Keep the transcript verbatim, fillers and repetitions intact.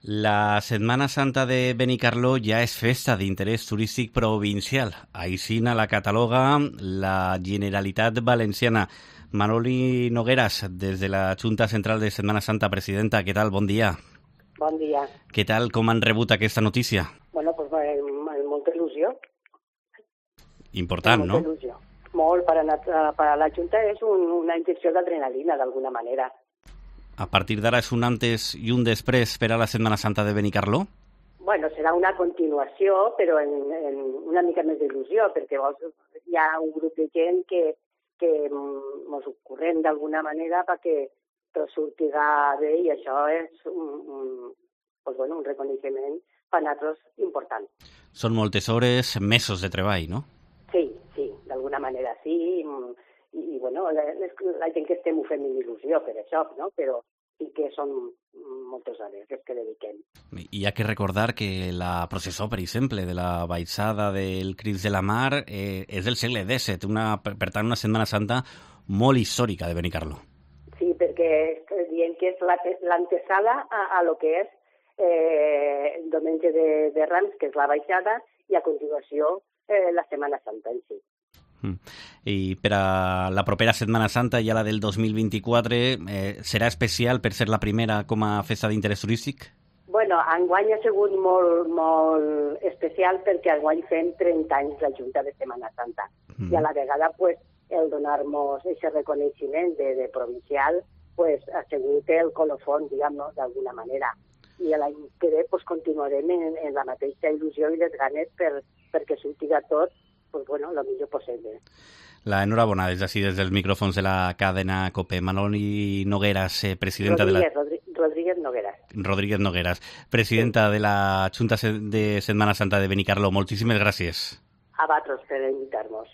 La Setmana Santa de Benicarló ja és festa d'interès turístic provincial. Així la cataloga la Generalitat Valenciana. Manoli Nogueras, des de la Junta Central de Setmana Santa, presidenta, què tal? Bon dia. Bon dia. Què tal? Com han rebut aquesta notícia? Bueno, pues amb molta il·lusió. Important, amb no? Molta il·lusió. Molt, per a, per a la Junta és un, una injecció d'adrenalina, d'alguna manera. A partir d'ara és un antes i un després per a la Setmana Santa de Benicarló? Bueno, serà una continuació, però en, en una mica més d'il·lusió, perquè vols, hi ha un grup de gent que, que ens ho correm d'alguna manera perquè tot sortirà bé, i això és un, un, pues bueno, un reconeixement per a nosaltres important. Són moltes hores, mesos de treball, no? Sí, sí, d'alguna manera sí, i, i bueno, la, la gent que estem ho fem amb il·lusió per això, no? Però sí que són moltes hores les que dediquem. Hi ha que recordar que la processó, per exemple, de la baixada del Crist de la Mar eh, és del segle disset, una, per tant una Setmana Santa molt històrica de Benicarló. Sí, perquè diem que és l'antesala a, a lo que és eh, el diumenge de, de Rams, que és la baixada, i a continuació eh, la Setmana Santa en si. Mm. I per a la propera Setmana Santa, ja la del dos mil vint-i-quatre, eh, serà especial per ser la primera com a festa d'interès turístic? Bueno, enguany ha sigut molt, molt especial perquè enguany fem trenta anys la Junta de Setmana Santa. Mm. I a la vegada, pues, el donar-nos aquest reconeixement de, de provincial pues, ha sigut el colofón, diguem-ne, d'alguna manera. I l'any que ve pues, continuarem en, en la mateixa il·lusió i les ganes per, perquè sortirà tot pues bueno, lo millor possible. La enhorabona des d'ací, des dels micròfons de la cadena COPE. Manoli Nogueras, eh, presidenta Rodríguez, de la... Rodríguez Nogueras. Rodríguez Nogueras, presidenta sí. de la Junta de Setmana Santa de Benicarló. Moltíssimes gràcies. A vosaltres per invitar-nos.